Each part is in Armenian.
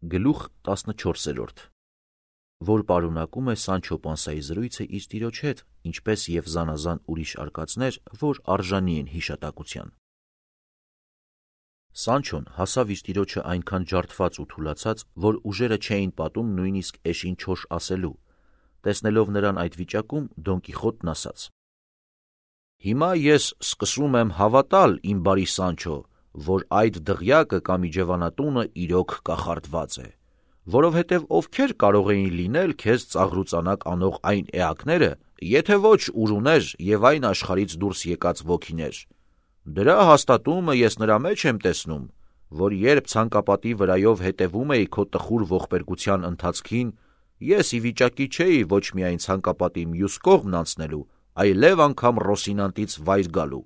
Գլուխ 14, որ պարունակում է Սանչո Պանսայի զրույցը իր տիրոջ հետ, ինչպես և զանազան ուրիշ արկածներ, որ արժանի են հիշատակության։ Սանչոն հասավ իր տիրոջը այնքան ջարդված ու թուլացած, որ ուժերը չէին պատում նույնիսկ էշին չոշ ասելու։ Տեսնելով նրան այդ վիճակում, Դոն Կիխոտն ասաց. «Հիմա ես սկսում եմ հավատալ, իմ բարի Սանչո, որ այդ դղյակը կամ իջևանատունը իրոք կախարդված է, որովհետև ովքեր կարող էին լինել քեզ ծաղրուծանակ անող այն էակները, եթե ոչ ուրուներ և այն աշխարհից դուրս եկած ոգիներ։ Դրա հաստատումը ես նրա մեջ եմ տեսնում, որ երբ ցանկապատի վրայով հետևում էի քո տխուր ողբերգության ընթացքին, ես ի վիճակի չէի ոչ միայն ցանկապատի մյուս կողմն անցնելու, այլև անգամ Ռոսինանտից վայր գալու։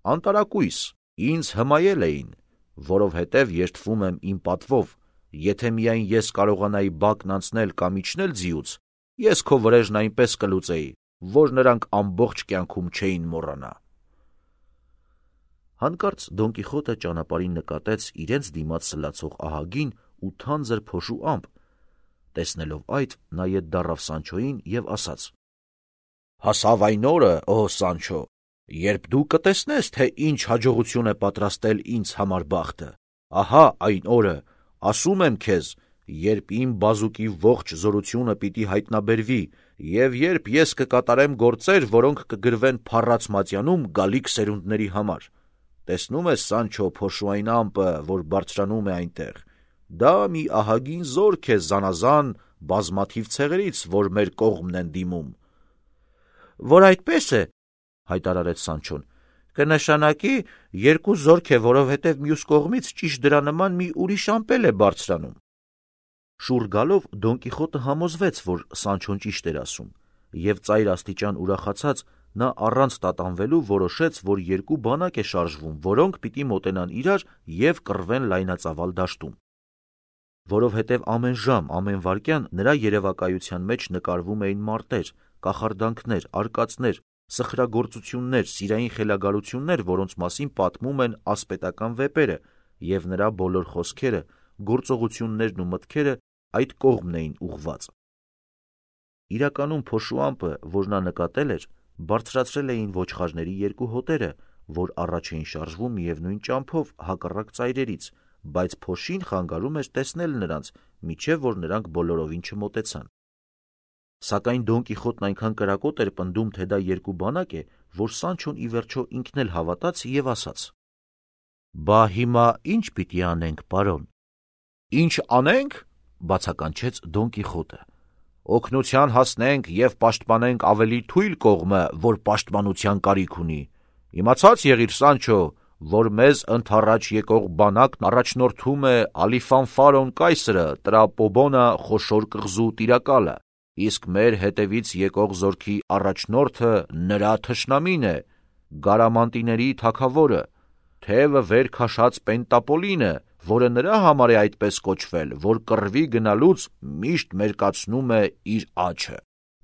Անտարակույս, ինձ հմայել էին, որովհետև երդվում եմ իմ պատվով, եթե միայն ես կարողանայի բակն անցնել կամ իջնել ձիուց, ես քո վրեժն այնպես կլուծեի, որ նրանք ամբողջ կյանքում չէին մոռանա»։ Հանկարծ Դոն Կիխոտը ճանապարհին նկատեց իրենց դիմաց սլացող ահագին ու թանձր փոշու ամպ։ Տեսնելով այդ, նա ետ դառավ Սանչոյին և ասաց. «Հասավ այն օրը, ո Սանչո, երբ դու կտեսնես, թե ինչ հաջողություն է պատրաստել ինձ համար բախտը։ Ահա այն օրը, ասում եմ քեզ, երբ իմ բազուկի ողջ զորությունը պիտի հայտնաբերվի, և երբ ես կկատարեմ գործեր, որոնք կգրվեն փառած մատյանում գալիք սերունդների համար։ Տեսնում ես, Սանչո, փոշու այն ամպը, որ բարձրանում է այնտեղ։ Դա մի ահագին զորք է զանազան բազմաթիվ ցեղերից, որ մեր կողմն են դիմում»։ «Որ այդպես է, — հայտարարեց Սանչոն, — կնշանակի երկու զորք է, որովհետև մյուս կողմից ճիշտ դրա նման մի ուրիշ ամպ էլ է բարձրանում»։ Շուռ գալով Դոն Կիխոտը համոզվեց, որ Սանչոն ճիշտ էր ասում, և ծայր աստիճան ուրախացած, նա առանց տատանվելու որոշեց, որ երկու բանակ է շարժվում, որոնք պիտի մոտենան իրար և կռվեն լայնածավալ դաշտում։ Որովհետև ամեն ժամ, ամեն վայրկյան նրա երևակայության մեջ նկարվում էին մարտեր, կախարդանքներ, արկածներ, սխրագործություններ, սիրային խելագարություններ, որոնց մասին պատմում են ասպետական վեպերը, և նրա բոլոր խոսքերը, գործողություններն ու մտքերը այդ կողմն էին ուղղված։ Իրականում փոշու ամպը, որ նա նկատել էր, բարձրացրել էին ոչխարների երկու հոտերը, որ առաջ էին շարժվում միևնույն ճամփով հակառակ ծայրերից, բայց փոշին խանգարում էր տեսնել նրանց, մինչև որ նրանք բոլորովին չմոտեցան։ Սակայն Դոն Կիխոտն այնքան կրակոտ էր պնդում, թե դա երկու բանակ է, որ Սանչոն ի վերջո ինքն էլ հավատաց և ասաց. «Բա հիմա ի՞նչ պիտի անենք, պարոն»։ «Ինչ անենք, — բացականչեց Դոն Կիխոտը, — օգնության հասնենք և պաշտպանենք ավելի թույլ կողմը, որ պաշտպանության կարիք ունի։ Իմացած եղիր, Սանչո, որ մեզ ընդառաջ եկող բանակն առաջնորդում է Ալիֆանֆարոն կայսրը, Տրապոբոնա խոշոր կղզու տիրակալը, իսկ մեր հետևից եկող զորքի առաջնորդը նրա թշնամին է, Գարամանտիների թագավորը, թևը վեր քաշած Պենտապոլինը, որը նրա համար է այդպես կոչվել, որ կռվի գնալուց միշտ մերկացնում է իր աջը»։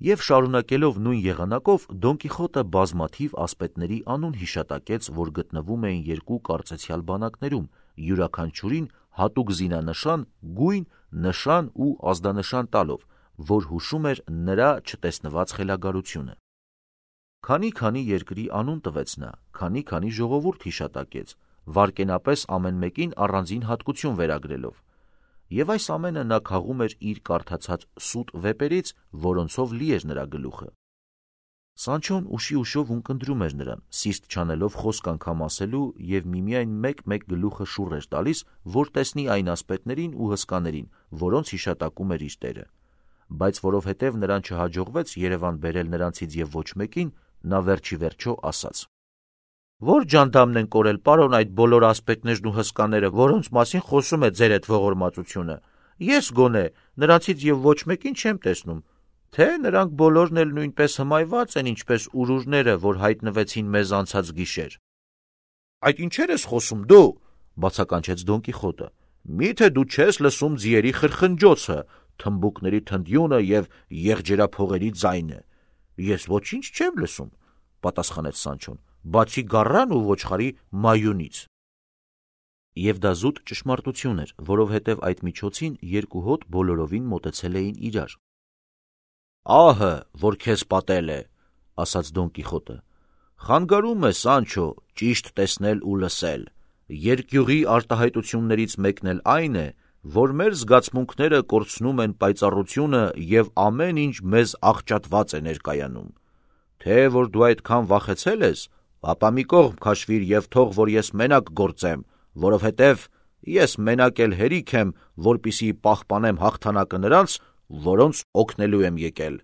Եվ շարունակելով նույն եղանակով, Դոն Կիխոտը բազմաթիվ ասպետների անուն հիշատակեց, որ գտնվում էին երկու կարծեցյալ բանակներում, յուրաքանչյուրին հատուկ զինանշան, գույն, նշան ու ազդանշան տալով, որ հուշում էր նրա չտեսնված խելագարությունը։ Քանի երկրի անուն տվեց նա, քանի ժողովուրդ հիշատակեց, վայրկենապես ամեն մեկին առանձին հատկություն վերագրելով։ Եվ այս ամենը նա քաղում էր իր կարդացած սուտ վեպերից, որոնցով լի էր նրա գլուխը։ Սանչոն ուշիուշով ունկնդրում էր նրան, սիրտ չանելով խոսք անգամ ասելու, և միմիայն մեկ գլուխը շուռ էր տալիս, որ տեսնի այն ասպետներին ու հսկաներին, որոնց հիշատակում էր իր տերը։ Բայց որովհետև նրան չհաջողվեց Երևան բերել նրանցից և ոչ մեկին, նա վերջի վերջո ասաց. «Ո՞ր ջանդամն են կորել, պարոն, այդ բոլոր ասպետներն ու հսկաները, որոնց մասին խոսում է ձեր էդ ողորմածությունը։ Ես գոնե նրանցից և ոչ մեկին չեմ տեսնում, թե նրանք բոլորն էլ նույնպես հմայված են, ինչպես ուրուրները, որ հայտնվեցին մեզ անցած գիշեր»։ «Այդ ինչեր ես խոսում դու», — բացականչեց Դոն Կիխոտը, «միթե դու չես լսում ձիերի խրխնջոցը, թմբուկների թնդյունը և եղջերափողերի ձայնը»։ «Ես ոչինչ չեմ լսում», — պատասխանեց Սանչոն, «բացի գառան ու ոչխարի մայունից»։ Եվ դա զուտ ճշմարտություն էր, որովհետև այդ միջոցին երկու հոտ բոլորովին մոտեցել էին իրար։ «Ահը, որ քեզ պատել է», ասաց Դոն Կիխոտը, «խանգարում է, Սանչո, ճիշտ տեսնել ու լսել։ Երկյուղի արտահայտություններից մեկն էլ այն է, որ մեր զգացմունքները կորցնում են պայծառությունը և ամեն ինչ մեզ աղճատված է ներկայանում։ Թե որ դու այդքան վախեցել ես, ապա մի կողմ քաշվիր և թող, որ ես մենակ գործեմ, որովհետև ես մենակ էլ հերիք եմ, որպեսզի պահպանեմ հաղթանակը նրանց, որոնց օգնելու եմ եկել»։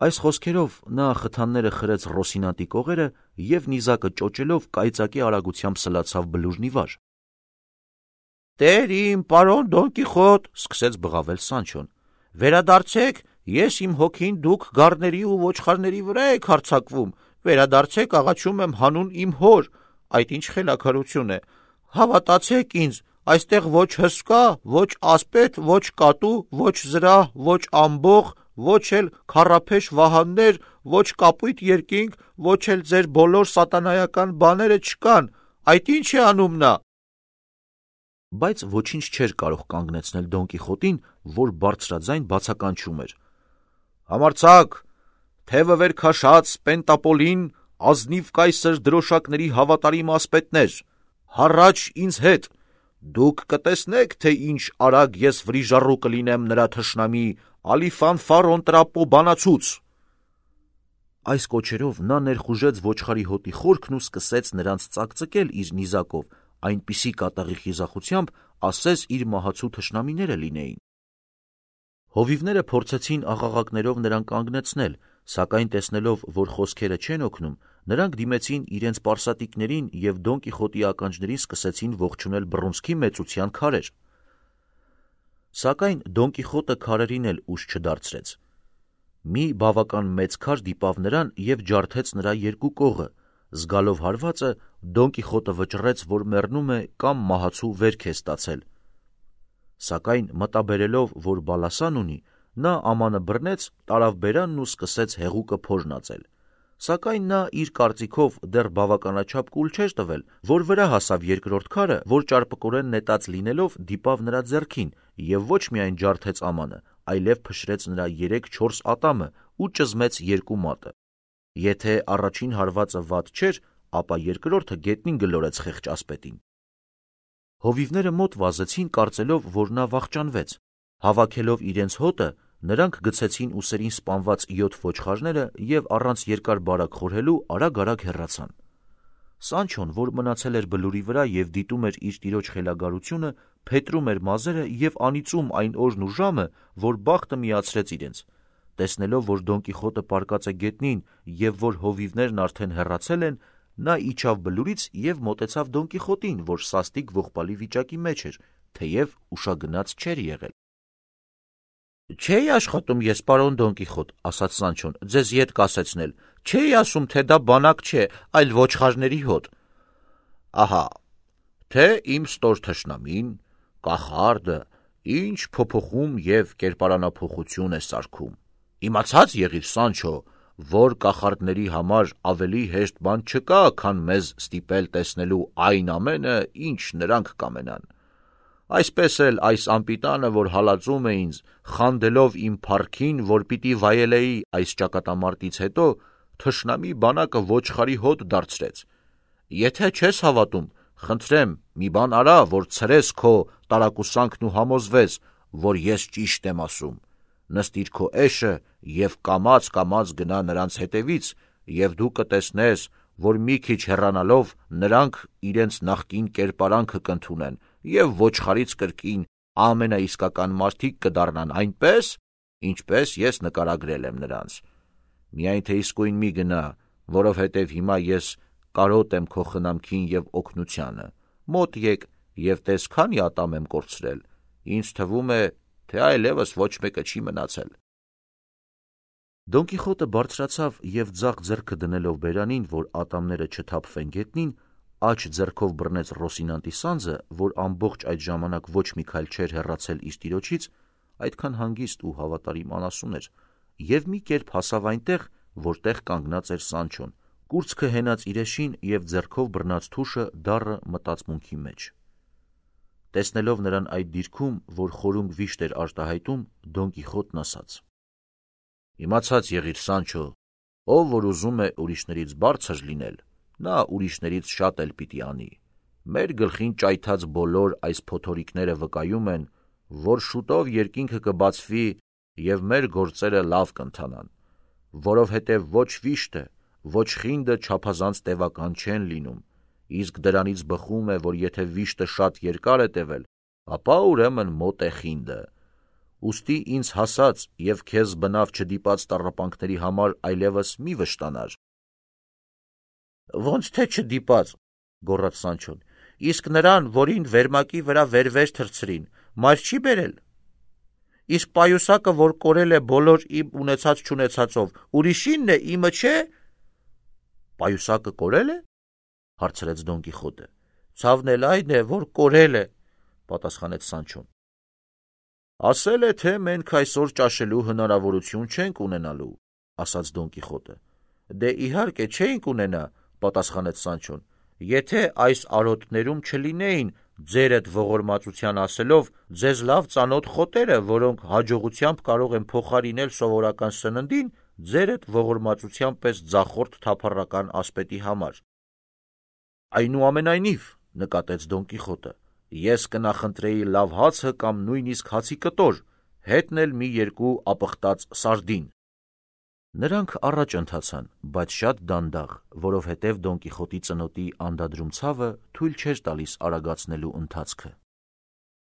Այս խոսքերով նա խթանները խրեց Ռոսինանտի կողերը և նիզակը ճոճելով կայծակի արագությամբ սլացավ բլուրն ի վար։ «Տեր իմ, պարոն Դոն Կիխոտ», սկսեց բղավել Սանչոն, «վերադարձեք, ես իմ հոգին դուք գառների ու ոչխարների վրա եք հարձակվում, վերադարձեք, աղաչում եմ հանուն իմ հոր, այդ ինչ խելագարություն է, հավատացեք ինձ, այստեղ ոչ հսկա, ոչ ասպետ, ոչ կատու, ոչ զրահ, ոչ ամբոխ, ոչ էլ քառափեշ վահաններ, ոչ կապույտ երկինք, ոչ էլ ձեր բոլոր սատանայական բաները չկան, այդ ինչ է անում նա»։ Բայց ոչինչ չէր կարող կանգնեցնել Դոն Կիխոտին, որ բարձրաձայն բացականչում էր. «Համարձակ, թևը վեր քաշած Պենտապոլին, ազնիվ կայսր դրոշակների հավատարիմ ասպետներ, հառաչ ինձ հետ, դուք կտեսնեք, թե ինչ արագ ես վրիժառու կլինեմ նրա թշնամի Ալիֆանֆարոն տրապո բանացուց»։ Այս կոչերով նա ներխուժեց ոչխարի հոտի խորքն ու սկսեց նրանց ծակծկել իր նիզակով, այնպիսի կատաղի խիզախությամբ, ասես իր մահացու թշնամիները լինեին։ Հովիվները փորձեցին աղաղակներով նրան կանգնեցնել, սակայն տեսնելով, որ խոսքերը չեն օգնում, նրանք դիմեցին իրենց պարսատիկներին և Դոն Կիխոտի ականջներին սկսեցին ողջունել բռունցքի մեծության քարեր։ Սակայն Դոն Կիխոտը քարերին էլ ուժ չդարձրեց։ Մի բավական մեծ քար դիպավ նրան և ջարդեց նրա երկու կողը։ Զգալով հարվածը, Դոն Կիխոտը վճռեց, որ մեռնում է կամ մահացու վերք է ստացել։ Սակայն մտաբերելով, որ բալասան ունի, նա ամանը բռնեց, տարավ բերանն ու սկսեց հեղուկը փորնածել։ Սակայն նա իր կարծիքով դեռ բավականաչափ կուլ չէր տվել, որ վրա հասավ երկրորդ քարը, որ ճարպկորեն նետած լինելով դիպավ նրա ձեռքին և ոչ միայն ջարդեց ամանը, այլև փշրեց նրա 3-4 ատամը ու ճզմեց երկու մատը։ Եթե առաջին հարվածը վատ չէր, ապա երկրորդը գետնին գլորեց խեղճ ասպետին։ Հովիվները մոտ վազեցին, կարծելով, որ նա վախճանվեց։ Հավաքելով իրենց հոտը, նրանք գցեցին ուսերին սպանված 7 ոչխարները և առանց երկար բարակ խորհելու արագ-արագ հեռացան։ Սանչոն, որ մնացել էր բլուրի վրա և դիտում էր իր տիրոջ խելագարությունը, փետրում էր մազերը և անիծում այն օրն ու ժամը, որ բախտը միացրեց իրենց։ Տեսնելով, որ Դոն Կիխոտը պառկած է գետնին և որ հովիվներն արդեն հեռացել են, նա իջավ բլուրից և մոտեցավ Դոն Կիխոտին, որ սաստիկ ողբալի վիճակի մեջ էր, թեև ուշագնաց չէր եղել։ «Չէի աշխատում ես, պարոն Դոն Կիխոտ», ասաց Սանչոն, «ձեզ ետ կասեցնել, չէի ասում, թե դա բանակ չէ, այլ ոչխարների հոտ»։ «Ահա, թե իմ ստոր թշնամին, կախարդը, ինչ փոփոխում և կերպարանափոխություն է սարքում։ Իմացած եղիր, Սանչո, որ կախարդների համար ավելի հեշտ բան չկա, քան մեզ ստիպել տեսնելու այն ամենը, ինչ նրանք կամենան։ Այսպես էլ այս անպիտանը, որ հալածում է ինձ, խանդելով իմ փառքին, որ պիտի վայելեի այս ճակատամարտից հետո, թշնամի բանակը ոչխարի հոտ դարձրեց։ Եթե չես հավատում, խնդրեմ, մի բան արա, որ ցրես քո տարակուսանքն ու համոզվես, որ ես ճիշտ եմ ասում։ Նստիր քո էշը և կամաց գնա նրանց հետևից, և դու կտեսնես, որ մի քիչ հեռանալով նրանք իրենց նախկին կերպարանքը կընդունեն և ոչխարից կրկին ամենաիսկական մարդիկ կդառնան այնպես, ինչպես ես նկարագրել եմ նրանց։ Միայն թե իսկույն մի գնա, որովհետև հիմա ես կարոտ եմ քո խնամքին և օգնությանը։ Մոտ եկ և տես քանի ատամ եմ կորցրել։ Ինձ թվում է, թե այլևս ոչ մեկը չի մնացել։ Դոն Կիխոտը բարձրացավ և ձախ ձեռքը դնելով բերանին, որ ատամները չթափվեն գետնին, աջ ձեռքով բռնեց Ռոսինանտի սանձը, որ ամբողջ այդ ժամանակ ոչ մի քայլ չէր հեռացել իր տիրոջից, այդքան հանգիստ ու հավատարիմ անասուն էր, և մի կերպ հասավ այնտեղ, որտեղ կանգնած էր Սանչոն, Կուրծքը հենած իր էշին և ձեռքով բռնած թուշը դառը մտածմունքի մեջ։ Տեսնելով նրան այդ դիրքում, որ խորունգ վիշտ էր արտահայտում, Դոն Կիխոտն ասաց. «Իմացած եղիր, Սանչո, ով որ ուզում է ուրիշներից բարձր լինել, նա ուրիշներից շատ էլ պիտի անի։ Մեր գլխին ճայթած բոլոր այս փոթորիկները վկայում են, որ շուտով երկինքը կբացվի և մեր գործերը լավ կընթանան, որովհետև ոչ վիշտը, ոչ խինդը չափազանց տևական չեն լինում, իսկ դրանից բխում է, որ եթե վիշտը շատ երկար է տևել, ապա ուրեմն մոտ է խինդը։ Ուստի ինձ հասած և քեզ բնավ չդիպած տառապանքների համար այլևս մի վշտանար»։ «Ոնց թե չդիպած», գոռաց Սանչոն, «իսկ նրան, որին վերմակի վրա վերվեր թռցրին, մայր չի բերել։ Իսկ պայուսակը, որ կորել է բոլոր իմ ունեցած-չունեցածով, ուրիշինն է, իմը չէ»։ «Պայուսակը կորել է», հարցրեց Դոն Կիխոտը։ «Ցավն էլ այն է, որ կորել է», պատասխանեց Սանչոն։ «Ասել է, թե մենք այսօր ճաշելու հնարավորություն չենք ունենալու», ասաց Դոն Կիխոտը։ «Դե իհարկե չէինք ունենա», պատասխանեց Սանչոն, «եթե այս արոտներում չլինեին ձերդ ողորմածության ասելով ձեզ լավ ծանոթ խոտերը, որոնք հաջողությամբ կարող են փոխարինել սովորական սննդին ձերդ ողորմածության պես ձախորդ թափառական ասպետի համար»։ «Այնուամենայնիվ», նկատեց Դոն Կիխոտը, «ես կնախընտրեի լավ հացը կամ նույնիսկ հացի կտոր, հետն էլ մի երկու ապխտած սարդին»։ Նրանք առաջ ընթացան, բայց շատ դանդաղ, որովհետև Դոն Կիխոտի ծնոտի անդադրում ցավը թույլ չէր տալիս արագացնելու ընթացքը։